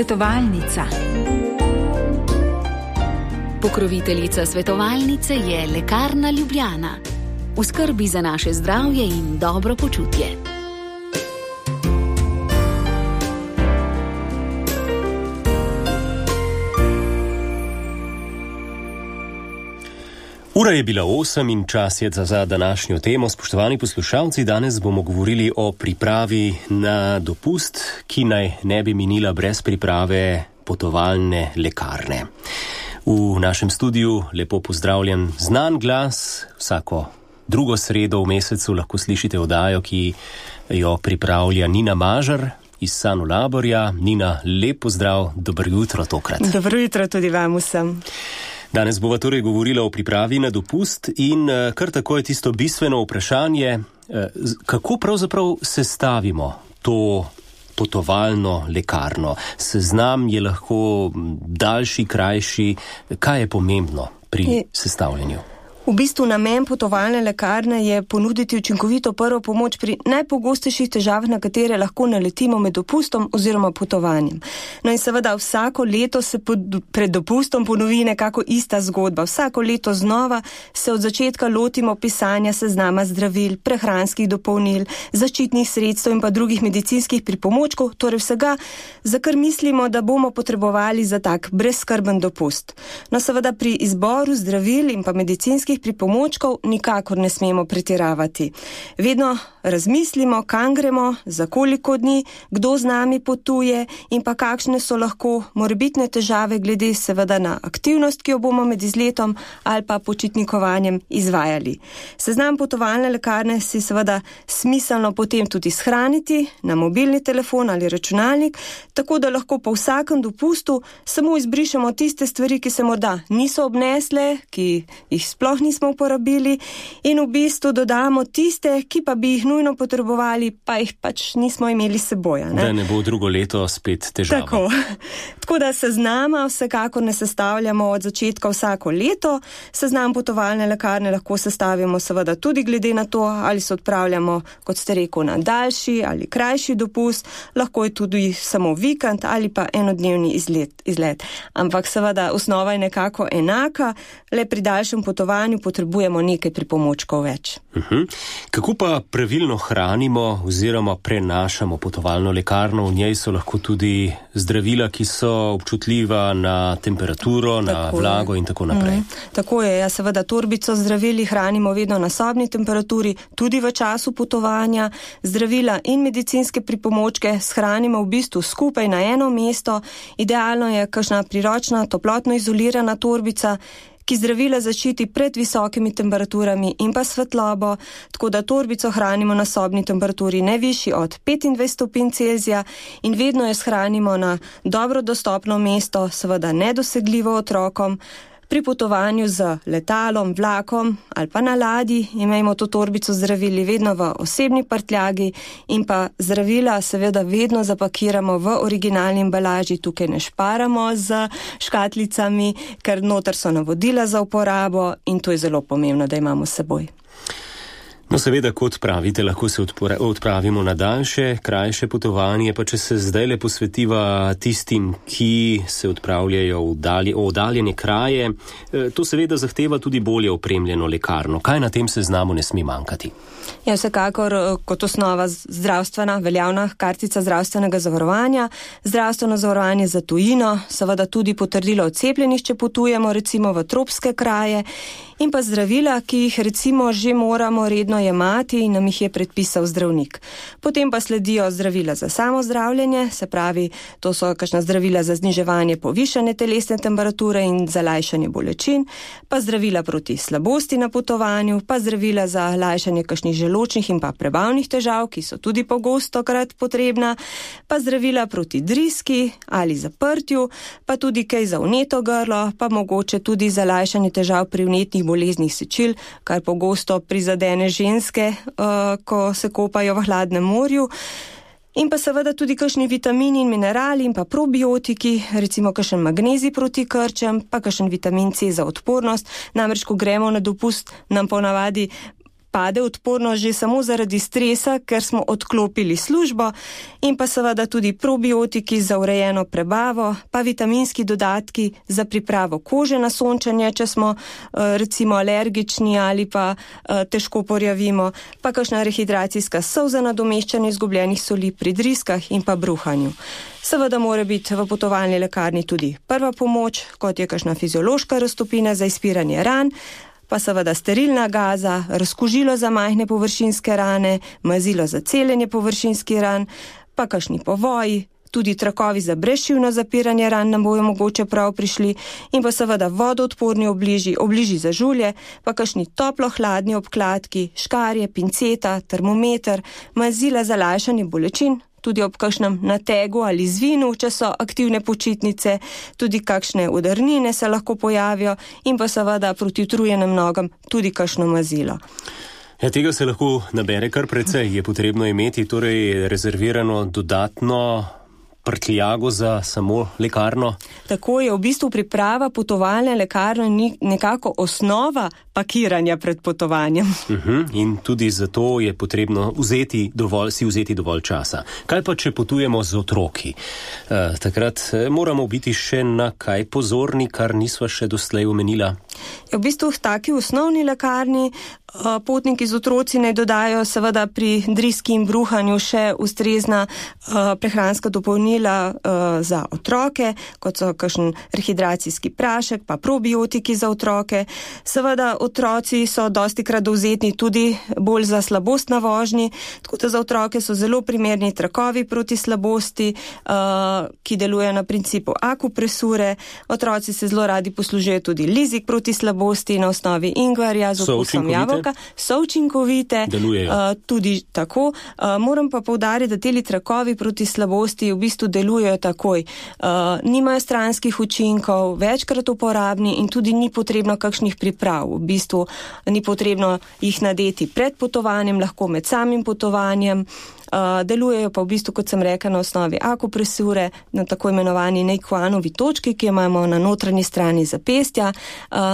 Svetovalnica. Pokroviteljica svetovalnice je Lekarna Ljubljana. V skrbi za naše zdravje in dobro počutje. Ura je bila 8 in čas je za današnjo temo. Spoštovani poslušalci, danes bomo govorili o pripravi na dopust, ki naj ne bi minila brez priprave potovalne lekarne. V našem studiu lepo pozdravljen znan glas. Vsako drugo sredo v mesecu lahko slišite oddajo, ki jo pripravlja Nina Mažar iz Sanu Laborja. Nina, lep pozdrav, dobro jutro tokrat. Dobro jutro tudi vam vsem. Danes bova torej govorila o pripravi na dopust in kar tako je tisto bistveno vprašanje, kako pravzaprav sestavimo to potovalno lekarno. Seznam je lahko daljši, krajši. Kaj je pomembno pri sestavljanju? V bistvu namen potovalne lekarne je ponuditi učinkovito prvo pomoč pri najpogostejših težavah, na katere lahko naletimo med dopustom oziroma potovanjem. No in seveda vsako leto se pred dopustom ponovi nekako ista zgodba. Vsako leto znova se od začetka lotimo pisanja seznama zdravil, prehranskih dopolnil, zaščitnih sredstev in pa drugih medicinskih pripomočkov, torej vsega, za kar mislimo, da bomo potrebovali za tak brezskrben dopust. No seveda pri izboru zdravil in pa medicinskih pripomočkov nikakor ne smemo pretiravati. Vedno razmislimo, kam gremo, za koliko dni, kdo z nami potuje in pa kakšne so lahko morebitne težave glede seveda na aktivnost, ki jo bomo med izletom ali pa počitnikovanjem izvajali. Seznam potovalne lekarne si seveda smiselno potem tudi shraniti na mobilni telefon ali računalnik, tako da lahko po vsakem dopustu samo izbrišemo tiste stvari, ki se morda niso obnesle, ki jih sploh nismo uporabili in v bistvu dodamo tiste, ki pa bi jih nujno potrebovali, pa jih pač nismo imeli s seboj. Da ne bo drugo leto spet težava. Tako da seznama vsekakor ne sestavljamo od začetka vsako leto. Seznam potovalne lekarne lahko sestavimo seveda tudi glede na to, ali se odpravljamo, kot ste rekel, na daljši ali krajši dopust, lahko je tudi samo vikend ali pa enodnevni izlet. Ampak seveda osnova je nekako enaka, le pri daljšem potovanju potrebujemo nekaj pripomočkov več. Kako pa pravilno hranimo oziroma prenašamo potovalno lekarno? V njej so lahko tudi zdravila, ki so občutljiva na temperaturo, na vlago in tako naprej. Tako je, seveda torbico zdravili hranimo vedno na sobni temperaturi, tudi v času potovanja. Zdravila in medicinske pripomočke shranimo v bistvu skupaj na eno mesto. Idealno je kakšna priročna, toplotno izolirana torbica, ki zdravila zaščiti pred visokimi temperaturami in pa svetlobo, tako da torbico hranimo na sobni temperaturi ne višji od 25 stopinj Celzija in vedno jo shranimo na dobro dostopno mesto, seveda nedosegljivo otrokom. Pri potovanju z letalom, vlakom ali pa na ladji imejmo to torbico zdravili vedno v osebni prtljagi in pa zdravila seveda vedno zapakiramo v originalni embalaži. Tukaj ne šparamo z škatlicami, ker noter so navodila za uporabo in to je zelo pomembno, da imamo s seboj. No seveda, kot pravite, lahko se odpravimo na daljše, krajše potovanje, pa če se zdajle posvetiva tistim, ki se odpravljajo v oddaljene kraje, to seveda zahteva tudi bolje opremljeno lekarno. Kaj na tem seznamu ne sme manjkati? Ja, vsekakor kot osnova zdravstvena, veljavna kartica zdravstvenega zavarovanja, zdravstveno zavarovanje za tujino, seveda tudi potrdilo o cepljenih, če potujemo recimo v tropske kraje, in pa zdravila, ki jih recimo že moramo redno jemati in nam jih je predpisal zdravnik. Potem pa sledijo zdravila za samozdravljenje, se pravi, to so kakšna zdravila za zniževanje povišane telesne temperature in za lajšanje bolečin, pa zdravila proti slabosti na potovanju, pa zdravila za lajšanje kakšnih želodčnih in pa prebavnih težav, ki so tudi pogostokrat potrebna, pa zdravila proti driski ali zaprtju, pa tudi kaj za vneto grlo, pa mogoče tudi za lajšanje težav pri vnetnih boleznih sečil, kar pogosto prizadene ženske, ko se kopajo v hladnem morju. In pa seveda tudi kakšni vitamini in minerali in pa probiotiki, recimo kakšen magnezij proti krčem, pa kakšen vitamin C za odpornost. Namreč, ko gremo na dopust, nam ponavadi pade odpornost že samo zaradi stresa, ker smo odklopili službo, in pa seveda tudi probiotiki za urejeno prebavo, pa vitaminski dodatki za pripravo kože na sončenje, če smo recimo alergični ali pa težko porjavimo, pa kakšna rehidracijska sol za nadomeščanje izgubljenih soli pri driskah in pa bruhanju. Seveda mora biti v potovalni lekarni tudi prva pomoč, kot je kakšna fiziološka raztopina za izpiranje ran, pa seveda sterilna gaza, razkužilo za majhne površinske rane, mazilo za celjenje površinskih ran, pa kakšni povoji, tudi trakovi za brezšivno zapiranje ran nam bojo mogoče prav prišli, in pa seveda vodoodporni obliži za žulje, pa kakšni toplo-hladni obkladki, škarje, pinceta, termometer, mazila za lajšanje bolečin, tudi ob kakšnem nategu ali zvinu, če so aktivne počitnice, tudi kakšne udarnine se lahko pojavijo, in pa seveda proti utrujenim nogam tudi kakšno mazilo. Ja, tega se lahko nabere kar precej. Je potrebno imeti torej rezervirano dodatno prtljago za samo lekarno? Tako je, v bistvu priprava potovalne lekarne ni nekako osnova pakiranja pred potovanjem. In tudi zato je potrebno vzeti dovolj časa. Kaj pa, če potujemo z otroki? Takrat moramo biti še na kaj pozorni, kar nisva še doslej omenila. V bistvu v taki osnovni lekarni potniki z otroci naj dodajo seveda pri driski in bruhanju še ustrezna prehranska dopolnila za otroke, kot so kakšen rehidracijski prašek, pa probiotiki za otroke. Seveda otroci so dostikrat dovzetni tudi bolj za slabost na vožnji, tako da za otroke so zelo primerni trakovi proti slabosti, ki delujejo na principu akupresure. Otroci se zelo radi poslužujejo tudi lizik proti slabosti na osnovi ingverja z okusom jabolka. So učinkovite, tudi tako. Moram pa poudariti, da teli trakovi proti slabosti v bistvu delujejo takoj. Nimajo stranskih učinkov, večkrat uporabni in tudi ni potrebno kakšnih priprav. V bistvu ni potrebno jih nadeti pred potovanjem, lahko med samim potovanjem. Delujejo pa v bistvu, kot sem rekla, na osnovi akupresure, na tako imenovani Nequanovi točki, ki jo imamo na notranji strani zapestja.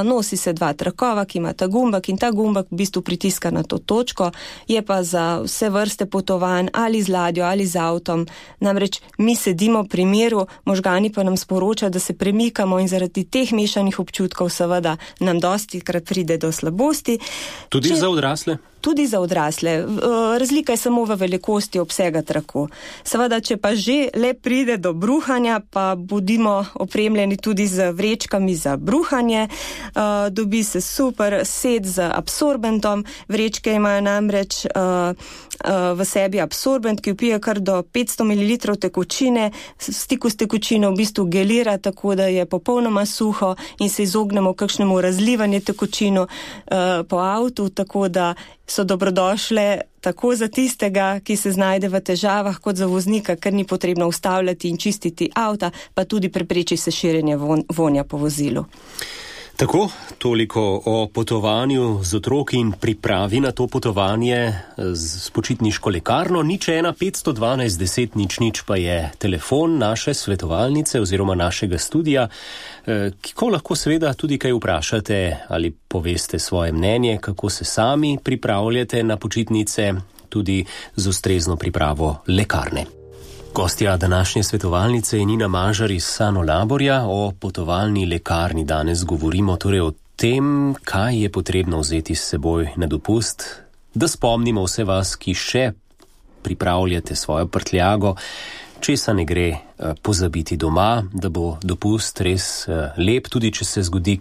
Nosi se 2 trakova, ki imata gumbak, in ta gumbak v bistvu pritiska na to točko. Je pa za vse vrste potovanj, ali z ladjo, ali z avtom. Namreč mi sedimo pri miru, možgani pa nam sporočajo, da se premikamo, in zaradi teh mešanih občutkov seveda nam dostikrat pride do slabosti. Tudi za odrasle? Tudi za odrasle. Razlika je samo v velikosti obsega traku. Seveda, če pa že le pride do bruhanja, pa bodimo opremljeni tudi z vrečkami za bruhanje. Dobi se super set z absorbentom. Vrečke imajo namreč v sebi absorbent, ki vpije kar do 500 ml tekočine. V stiku s tekočino v bistvu gelira, tako da je popolnoma suho in se izognemo kakšnemu razlivanju tekočino po avtu, tako da so dobrodošle tako za tistega, ki se znajde v težavah, kot za voznika, ker ni potrebno ustavljati in čistiti avta, pa tudi prepreči se širjenje vonja po vozilu. Tako, toliko o potovanju z otroki in pripravi na to potovanje s počitniško lekarno. 01 512 10 00 pa je telefon naše svetovalnice oziroma našega studia, ko lahko seveda tudi kaj vprašate ali poveste svoje mnenje, kako se sami pripravljate na počitnice, tudi z ustrezno pripravo lekarne. Gostja današnje svetovalnice je Nina Mažar iz Sanolaborja. O potovalni lekarni danes govorimo torej o tem, kaj je potrebno vzeti s seboj na dopust. Da spomnimo vse vas, ki še pripravljate svojo prtljago, česa ne gre pozabiti doma, da bo dopust res lep, tudi če se zgodi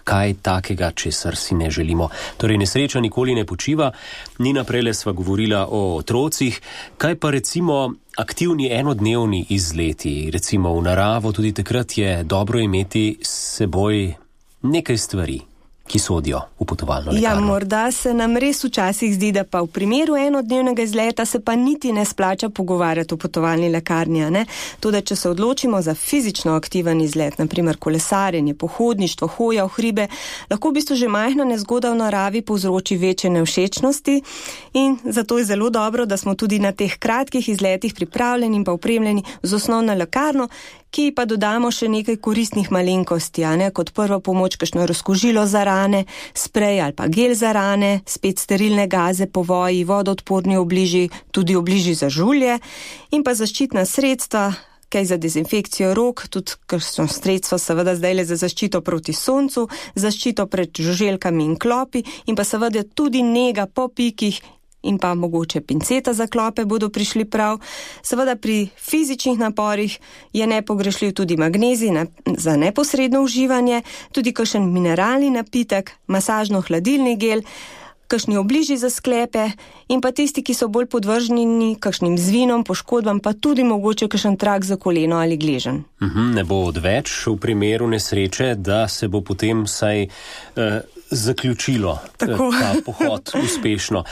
kaj takega, česar si ne želimo. Torej, nesreča nikoli ne počiva. Nina, prejle sva govorila o otrocih. Kaj pa recimo aktivni enodnevni izleti, recimo v naravo, tudi takrat je dobro imeti s seboj nekaj stvari, ki sodijo v potovalno lekarno. Ja, morda se nam res včasih zdi, da pa v primeru enodnevnega izleta se pa niti ne splača pogovarjati o potovalni lekarni, ne? Tudi, če se odločimo za fizično aktiven izlet, naprimer kolesarjenje, pohodništvo, hoja v hribe, lahko v bistvu že majhna nezgoda v naravi povzroči večje nevšečnosti, in zato je zelo dobro, da smo tudi na teh kratkih izletih pripravljeni in pa opremljeni z osnovno lekarno, ki pa dodamo še nekaj koristnih malenkosti, ne? Kot prva pomoč kakšno razkužilo za rane, sprej ali pa gel za rane, spet sterilne gaze, povoji, vodoodporni obliži, tudi obliži za žulje in pa zaščitna sredstva, kaj za dezinfekcijo rok, tudi kakšno sredstvo seveda zdaj le za zaščito proti soncu, zaščito pred žuželkami in klopi in pa seveda tudi nega po pikih in pa mogoče pinceta za klope bodo prišli prav. Seveda pri fizičnih naporih je nepogrešljiv tudi magnezij za neposredno uživanje, tudi kakšen mineralni napitek, masažno-hladilni gel, kakšni obliži za sklepe in pa tisti, ki so bolj podvrženi kakšnim zvinom, poškodbam, pa tudi mogoče kakšen trak za koleno ali gleženj. Ne bo odveč v primeru nesreče, da se bo potem saj zaključilo ta pohod uspešno.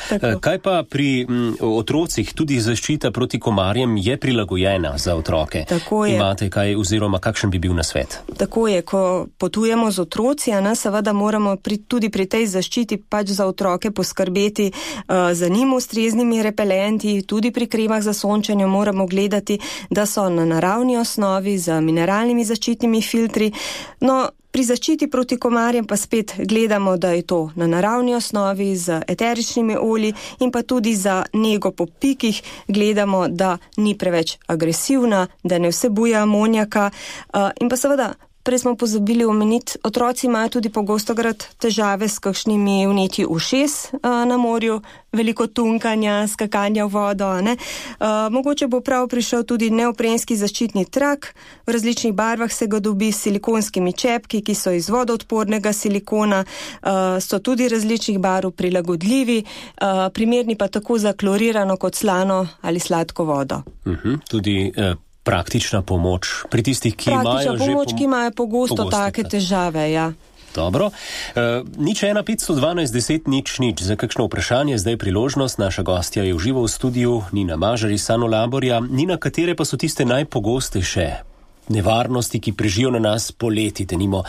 Kaj pa pri otrocih, tudi zaščita proti komarjem je prilagojena za otroke? Imate kaj oziroma kakšen bi bil nasvet? Tako je, ko potujemo z otroci, seveda moramo tudi pri tej zaščiti pač za otroke poskrbeti za njim ustreznimi repelenti, tudi pri kremah za sončenje moramo gledati, da so na naravni osnovi z mineralnimi zaščitnimi filtri. No, pri zaščiti proti komarjem pa spet gledamo, da je to na naravni osnovi z eteričnimi olji in pa tudi za nego po pikih gledamo, da ni preveč agresivna, da ne vsebuje amonijaka in pa seveda prej smo pozabili omeniti, otroci imajo tudi pogostokrat težave s kakšnimi vnetji ušes na morju, veliko tunkanja, skakanja v vodo. Mogoče bo prav prišel tudi neoprenski zaščitni trak, v različnih barvah se ga dobi s silikonskimi čepki, ki so iz vodoodpornega silikona, so tudi različnih barv prilagodljivi, primerni pa tako za klorirano kot slano ali sladko vodo. Tudi praktična pomoč pri tistih, ki imajo pogosto take težave, ja. Dobro. 015121000 za kakšno vprašanje, zdaj priložnost. Naša gostja je v živo v studiu, Nina Mažar iz Sanolaborja. Nina, katere pa so tiste najpogostejše nevarnosti, ki prežijo na nas poleti, denimo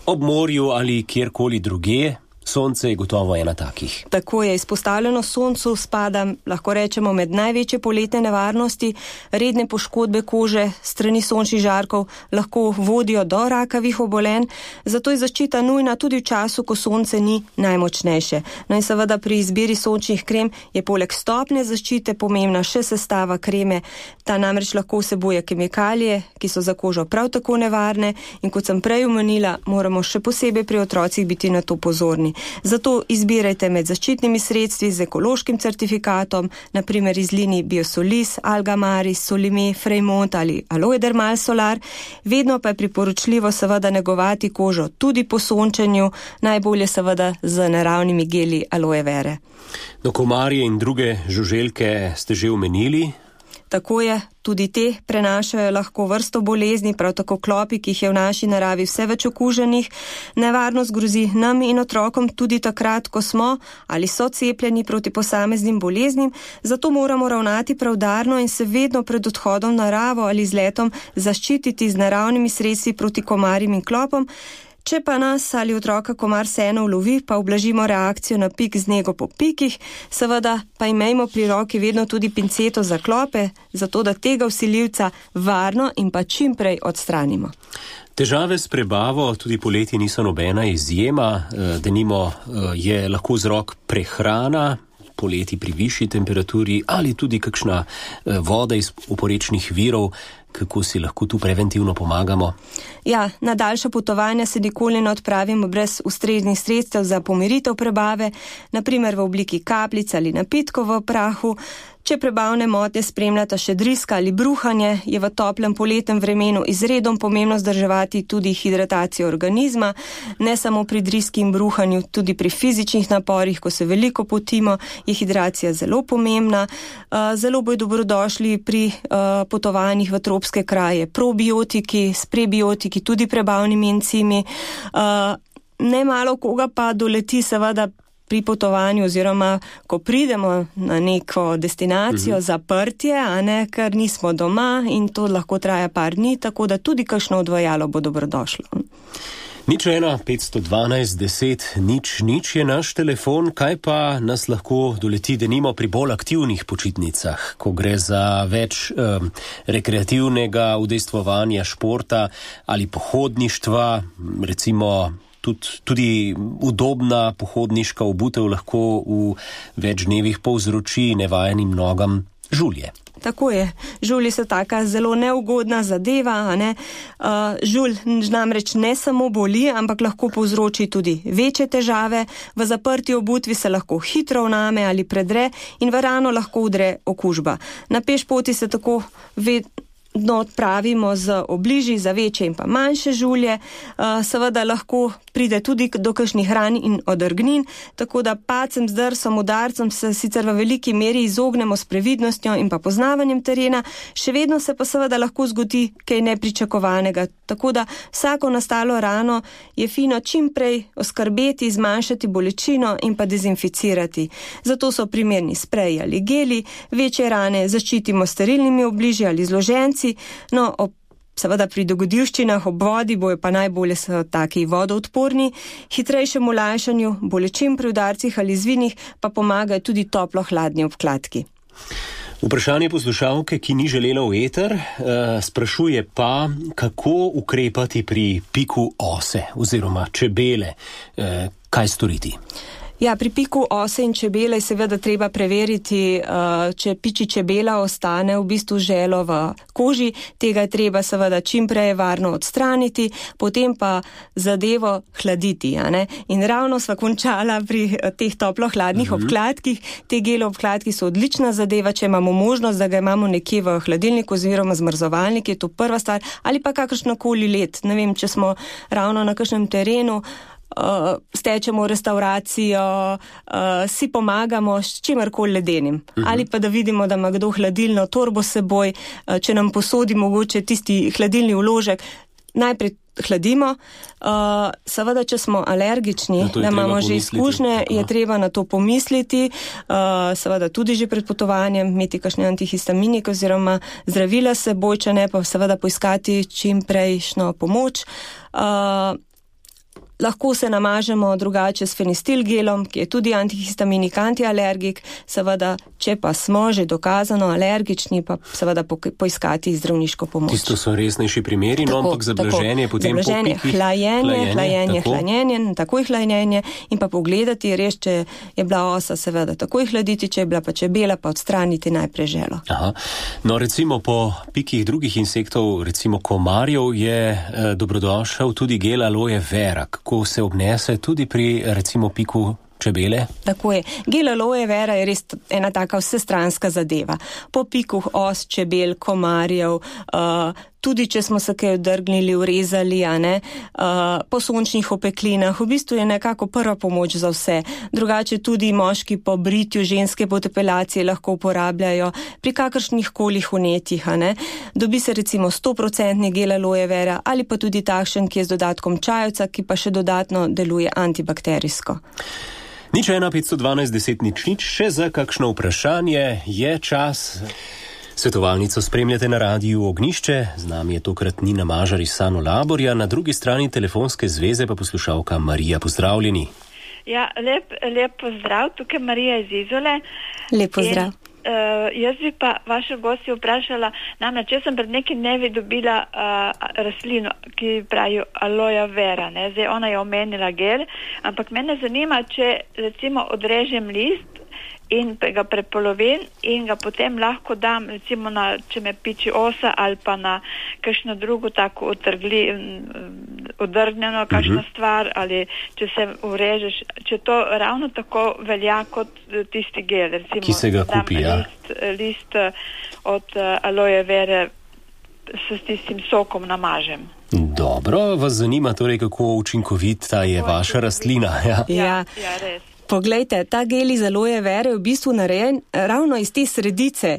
ob morju ali kjerkoli drugje? Sonce je gotovo ena takih. Tako je, izpostavljeno soncu spada, lahko rečemo, med največje poletne nevarnosti. Redne poškodbe kože strani sončnih žarkov lahko vodijo do rakavih obolenj, zato je zaščita nujna tudi v času, ko sonce ni najmočnejše. No in seveda pri izbiri sončnih krem je poleg stopnje zaščite pomembna še sestava kreme. Ta namreč lahko vsebuje kemikalije, ki so za kožo prav tako nevarne in kot sem prej omenila, moramo še posebej pri otrocih biti na to pozorni. Zato izbirajte med zaščitnimi sredstvi z ekološkim certifikatom, naprimer iz linij Biosolis, Algamaris, Solime, Freimont ali Aloe Dermal Solar. Vedno pa je priporočljivo seveda negovati kožo tudi po sončenju, najbolje seveda z naravnimi geli aloe vere. No, komarje in druge žuželke ste že omenili. Tako je, tudi te prenašajo lahko vrsto bolezni, prav tako klopi, ki jih je v naši naravi vse več okuženih. Nevarnost grozi nam in otrokom tudi takrat, ko smo ali so cepljeni proti posameznim boleznim, zato moramo ravnati preudarno in se vedno pred odhodom v naravo ali z letom zaščititi z naravnimi sredstvi proti komarjem in klopom. Če pa nas ali otroka komar vseeno ulovi, pa ublažimo reakcijo na pik z nego po pikih, seveda pa imejmo pri roki vedno tudi pinceto za klope, zato da tega vsiljivca varno in pa čim prej odstranimo. Težave s prebavo tudi poleti niso nobena izjema, denimo je lahko vzrok prehrana, poleti pri višji temperaturi ali tudi kakšna voda iz oporečnih virov. Kako si lahko tu preventivno pomagamo? Ja, na daljša potovanja se nikoli ne odpravimo brez ustreznih sredstev za pomiritev prebave, naprimer v obliki kapljic ali napitkov v prahu. Če prebavne motnje spremljata še driska ali bruhanje, je v toplem poletnem vremenu izredno pomembno vzdrževati tudi hidratacijo organizma, ne samo pri driski in bruhanju, tudi pri fizičnih naporih, ko se veliko potimo, je hidracija zelo pomembna. Zelo bodo dobrodošli pri potovanjih v tropske kraje probiotiki, s prebiotiki, tudi prebavnimi encimi. Nemalo koga pa doleti seveda pri potovanju oziroma ko pridemo na neko destinacijo zaprtje, ker nismo doma in to lahko traja par dni, tako da tudi kakšno odvajalo bo dobrodošlo. 015121000 je naš telefon, kaj pa nas lahko doleti denimo pri bolj aktivnih počitnicah, ko gre za več rekreativnega udejstvovanja, športa ali pohodništva, recimo tudi udobna pohodniška obutev lahko v več dnevih povzroči nevajenim nogam žulje. Tako je. Žulji so taka zelo neugodna zadeva, a ne. Žulj namreč ne samo boli, ampak lahko povzroči tudi večje težave. V zaprti obutvi se lahko hitro vname ali predre in v rano lahko udre okužba. Na pešpoti se tako odpravimo z obliži za večje in pa manjše žulje. Seveda lahko pride tudi do kakšnih ran in odrgnin, tako da padcem, zdrsom, udarcem se sicer v veliki meri izognemo s previdnostjo in pa poznavanjem terena, še vedno se pa seveda lahko zgodi kaj nepričakovanega. Tako da vsako nastalo rano je fino čim prej oskrbeti, zmanjšati bolečino in pa dezinficirati. Zato so primerni spreji ali geli, večje rane zaščitimo s sterilnimi obliži ali zloženci. No, seveda pri dogodivščinah ob vodi bojo pa najbolje so taki vodoodporni, hitrejšemu lajšanju, bolečim pri udarcih ali zvinih pa pomagajo tudi toplo-hladni obkladki. Vprašanje poslušalke, ki ni želela v eter, sprašuje pa, kako ukrepati pri piku ose oziroma čebele, kaj storiti? Ja, pri piku ose in čebele je seveda treba preveriti, če piči čebela ostane v bistvu želo v koži, tega je treba seveda čim prej varno odstraniti, potem pa zadevo hladiti, a ne? In ravno sva končala pri teh toplo-hladnih obkladkih. Te gelo obkladki so odlična zadeva, če imamo možnost, da ga imamo nekje v hladilniku oziroma zmrzovalniku, je to prva stvar, ali pa kakršnokoli led. Ne vem, če smo ravno na kakšnem terenu, stečemo restauracijo, si pomagamo s čimerkoli ledenim. Ali pa da vidimo, da ima kdo hladilno torbo s seboj, če nam posodi mogoče tisti hladilni vložek, najprej hladimo. Seveda, če smo alergični, da imamo že izkušnje, je treba na to pomisliti. Seveda tudi že pred potovanjem imeti kakšne antihistaminike oziroma zdravila s seboj, če ne pa seveda poiskati čim prejšnjo pomoč. Lahko se namažemo drugače s fenistilgelom, ki je tudi antihistaminik, antialergik. Seveda, če pa smo že dokazano alergični, pa seveda poiskati zdravniško pomoč. Tisto so resnejši primeri, no, ampak zablaženje potem po pikih. Hlajenje, takoj hlajenje in pa pogledati, res, če je bila osa, seveda takoj hladiti, če je bila pa čebela, pa odstraniti najprej želo. Aha. No, recimo po pikih drugih insektov, recimo komarjev, je dobrodošel tudi gel aloe vera, ko se obnese tudi pri, recimo, piku čebele? Tako je. Gel aloe vera je res ena taka vsestranska zadeva. Po piku os, čebel, komarjev, tudi če smo se kaj odrgnili, urezali, po sončnih opeklinah, v bistvu je nekako prva pomoč za vse. Drugače tudi moški po britju, ženske po depilaciji lahko uporabljajo pri kakršnih kolih vnetjih, Dobi se recimo 100% gel aloe vera ali pa tudi takšen, ki je z dodatkom čajevca, ki pa še dodatno deluje antibakterijsko. 015121000, še za kakšno vprašanje je čas. Svetovalnico spremljate na Radiu Ognjišče, z nami je tokrat Nina Mažar iz Sano Laborja, na drugi strani telefonske zveze pa poslušalka Marija. Pozdravljeni. Ja, lep pozdrav, tukaj Marija iz Izole. Lep pozdrav. Jaz bi pa vašo gostjo vprašala, namreč jaz sem pred nekaj dnevi dobila rastlino, ki pravijo aloe vera, Zdaj ona je omenila gel, ampak mene zanima, če recimo odrežem list in ga prepolovim in ga potem lahko dam, recimo če me piči osa ali pa na kakšno drugo tako odrgnjeno kakšna stvar, ali če se urežeš, če to ravno tako velja kot tisti gel, recimo, ki se ga kupi, list od aloe vere s tistim sokom namažem. Dobro, vas zanima torej, kako učinkovita je vaša rastlina? Ja, res. Poglejte, ta gel iz aloe vere je v bistvu narejen ravno iz te sredice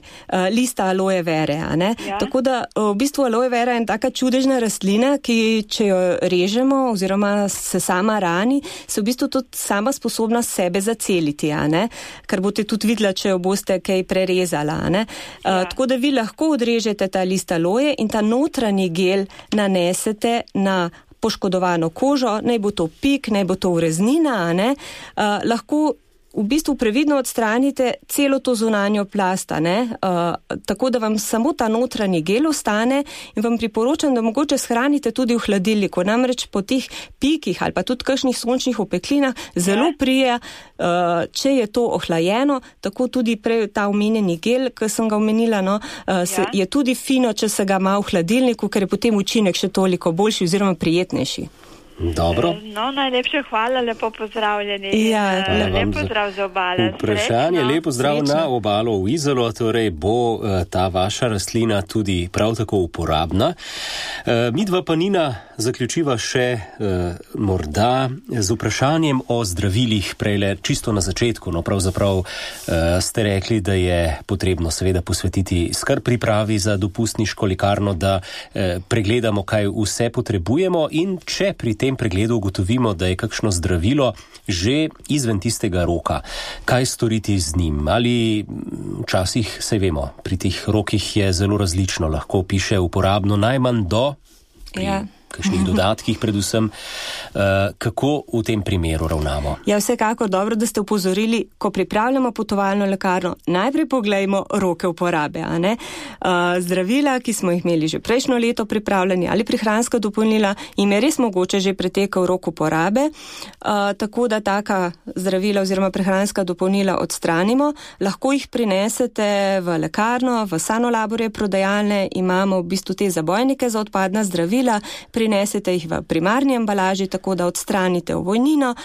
lista aloe vere, Ja. Tako da v bistvu aloe vera je taka čudežna rastlina, ki če jo režemo oziroma se sama rani, se v bistvu tudi sama sposobna sebe zaceliti, Kar boste tudi videla, če jo boste kaj prerezala, Tako da vi lahko odrežete ta list aloe in ta notranji gel nanesete na poškodovano kožo, naj bo to pik, naj bo to ureznina, lahko v bistvu previdno odstranite celo to zunanjo plast, tako da vam samo ta notranji gel ostane in vam priporočam, da mogoče shranite tudi v hladilniku. Namreč po teh pikih ali pa tudi kakšnih sončnih opeklinah zelo prije, če je to ohlajeno, tako tudi prej ta omenjeni gel, ki sem ga omenila, je tudi fino, če se ga ima v hladilniku, ker je potem učinek še toliko boljši oziroma prijetnejši. Dobro. No, najlepše hvala, lepo pozdravljeni. Ja, lep pozdrav za obale. Vprašanje, lepo zdrav na obalo v Izolo, torej bo ta vaša rastlina tudi prav tako uporabna. Midva pa Nina zaključiva še morda z vprašanjem o zdravilih prejle čisto na začetku. No, pravzaprav ste rekli, da je potrebno seveda posvetiti skrb pripravi za dopustniško lekarno, da pregledamo, kaj vse potrebujemo in če pri tem pregledu ugotovimo, da je kakšno zdravilo že izven tistega roka. Kaj storiti z njim? Ali včasih, saj vemo, pri teh rokih je zelo različno, lahko piše uporabno najmanj do kakšnih dodatkih predvsem. Kako v tem primeru ravnamo? Ja, vsekakor dobro, da ste upozorili, ko pripravljamo potovalno lekarno, najprej poglejmo roke uporabe. Zdravila, ki smo jih imeli že prejšnjo leto pripravljeni ali prehranska dopolnila, jim je res mogoče že pretekel rok uporabe, tako da taka zdravila oziroma prehranska dopolnila odstranimo. Lahko jih prinesete v lekarno, v Sanolaborje prodajalne, imamo v bistvu te zabojnike za odpadna zdravila, prinesete jih v primarni embalaži, tako da odstranite ovojnino.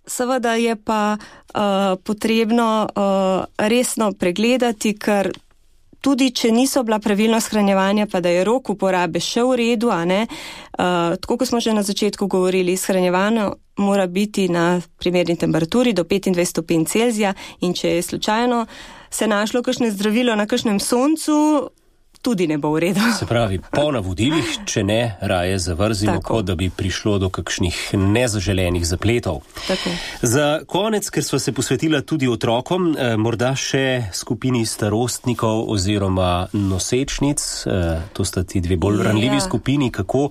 Seveda je pa potrebno resno pregledati, ker tudi če niso bila pravilno shranjevanja, pa da je rok uporabe še v redu, tako kot smo že na začetku govorili, shranjevanje mora biti na primerni temperaturi do 25 stopinj Celzija in če je slučajno se našlo kakšno zdravilo na kakšnem soncu, tudi ne bo v redu. Se pravi, po navodilih, če ne, raje zavrzimo, kot da bi prišlo do kakšnih nezaželenih zapletov. Tako. Za konec, ker sva se posvetila tudi otrokom, morda še skupini starostnikov oziroma nosečnic, to sta ti dve bolj ranljivi skupini, kako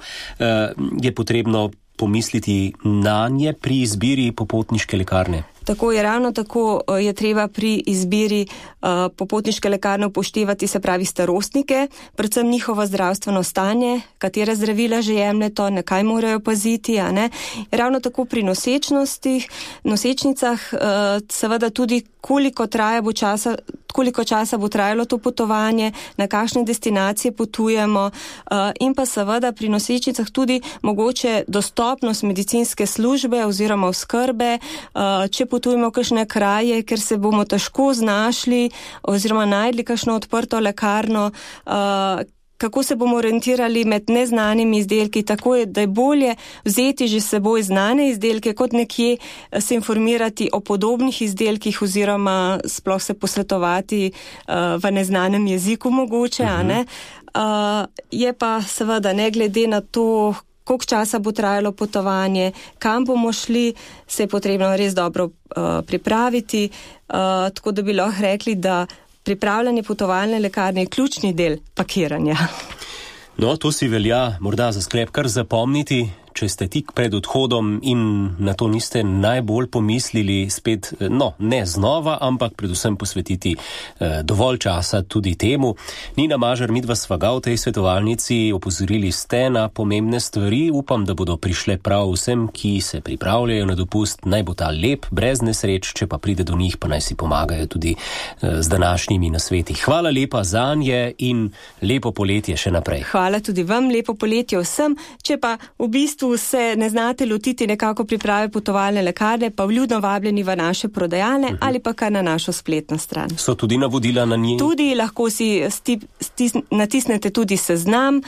je potrebno pomisliti na nje pri izbiri popotniške lekarne? Tako je, ravno tako je treba pri izbiri popotniške lekarne upoštevati, se pravi starostnike, predvsem njihovo zdravstveno stanje, katere zdravila že jemljejo, na kaj morajo paziti, Ravno tako pri nosečnicah, seveda tudi koliko časa bo trajalo to potovanje, na kakšne destinacije potujemo in pa seveda pri nosečnicah tudi mogoče dostopnost medicinske službe oziroma oskrbe, če potujemo v kakšne kraje, ker se bomo težko znašli oziroma najdli kakšno odprto lekarno, kako se bomo orientirali med neznanimi izdelki, tako je, da je bolje vzeti že s seboj znane izdelke, kot nekje se informirati o podobnih izdelkih oziroma sploh se posvetovati v neznanem jeziku mogoče, Je pa seveda ne glede na to, koliko časa bo trajalo potovanje, kam bomo šli, se je potrebno res dobro pripraviti, tako da bi lahko rekli, da pripravljanje potovalne lekarne je ključni del pakiranja. No, to si velja morda za sklep kar zapomniti, če ste tik pred odhodom in na to niste najbolj pomislili, spet, ne znova, ampak predvsem posvetiti dovolj časa tudi temu. Nina Mažar, midva sva ga v tej svetovalnici, opozorili ste na pomembne stvari, upam, da bodo prišle prav vsem, ki se pripravljajo na dopust, naj bo ta lep, brez nesreč, če pa pride do njih, pa naj si pomagajo tudi z današnjimi nasveti. Hvala lepa zanje in lepo poletje še naprej. Hvala tudi vam, lepo poletje vsem, če pa v bistvu se ne znate lotiti nekako priprave potovalne lekarne, pa vljudno vabljeni v naše prodajalne ali pa kar na našo spletno stran. So tudi navodila na njej? Tudi lahko si natisnete tudi seznam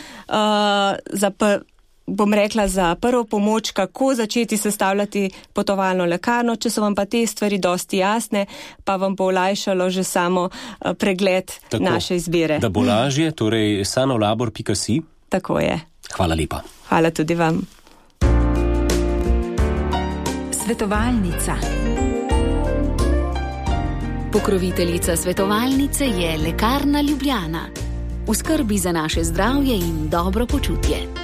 bom rekla za prvo pomoč, kako začeti sestavljati potovalno lekarno. Če so vam pa te stvari dosti jasne, pa vam bo olajšalo že samo pregled naše izbire. Da bo lažje, torej sanolabor.si. Tako je. Hvala lepa. Hvala tudi vam. Svetovalnica. Pokroviteljica svetovalnice je Lekarna Ljubljana. V skrbi za naše zdravje in dobro počutje.